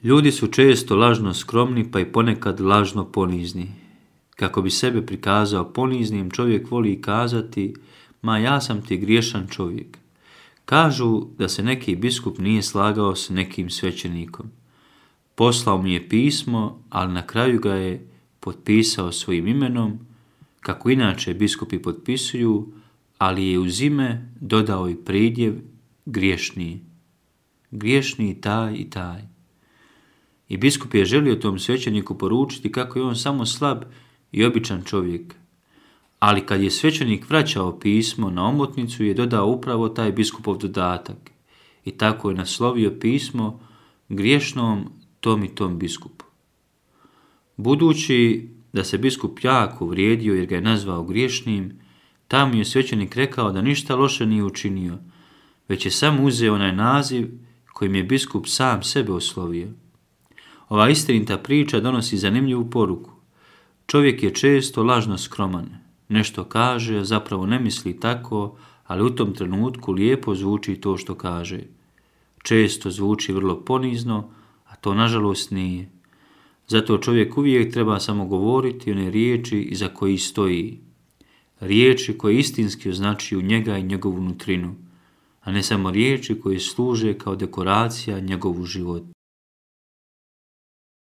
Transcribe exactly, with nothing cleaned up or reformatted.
Ljudi su često lažno skromni, pa i ponekad lažno ponizni. Kako bi sebe prikazao poniznim, čovjek voli kazati: ma ja sam ti griješan čovjek. Kažu da se neki biskup nije slagao s nekim svećenikom. Poslao mi je pismo, ali na kraju ga je potpisao svojim imenom, kako inače biskupi potpisuju, ali je uz ime dodao i pridjev griješni. Griješni taj i taj. I biskup je želio tom svećeniku poručiti kako je on samo slab i običan čovjek. Ali kad je svećenik vraćao pismo, na omotnicu je dodao upravo taj biskupov dodatak. I tako je naslovio pismo griješnom tom i tom biskupu. Budući da se biskup jako uvrijedio jer ga je nazvao griješnim, tamo je svećenik rekao da ništa loše nije učinio, već je samo uzeo onaj naziv kojim je biskup sam sebe oslovio. Ova istinita priča donosi zanimljivu poruku. Čovjek je često lažno skroman. Nešto kaže, a zapravo ne misli tako, ali u tom trenutku lijepo zvuči to što kaže. Često zvuči vrlo ponizno, a to nažalost nije. Zato čovjek uvijek treba samo govoriti one riječi iza kojih stoji. Riječi koje istinski označuju njega i njegovu nutrinu, a ne samo riječi koje služe kao dekoracija njegovu životu.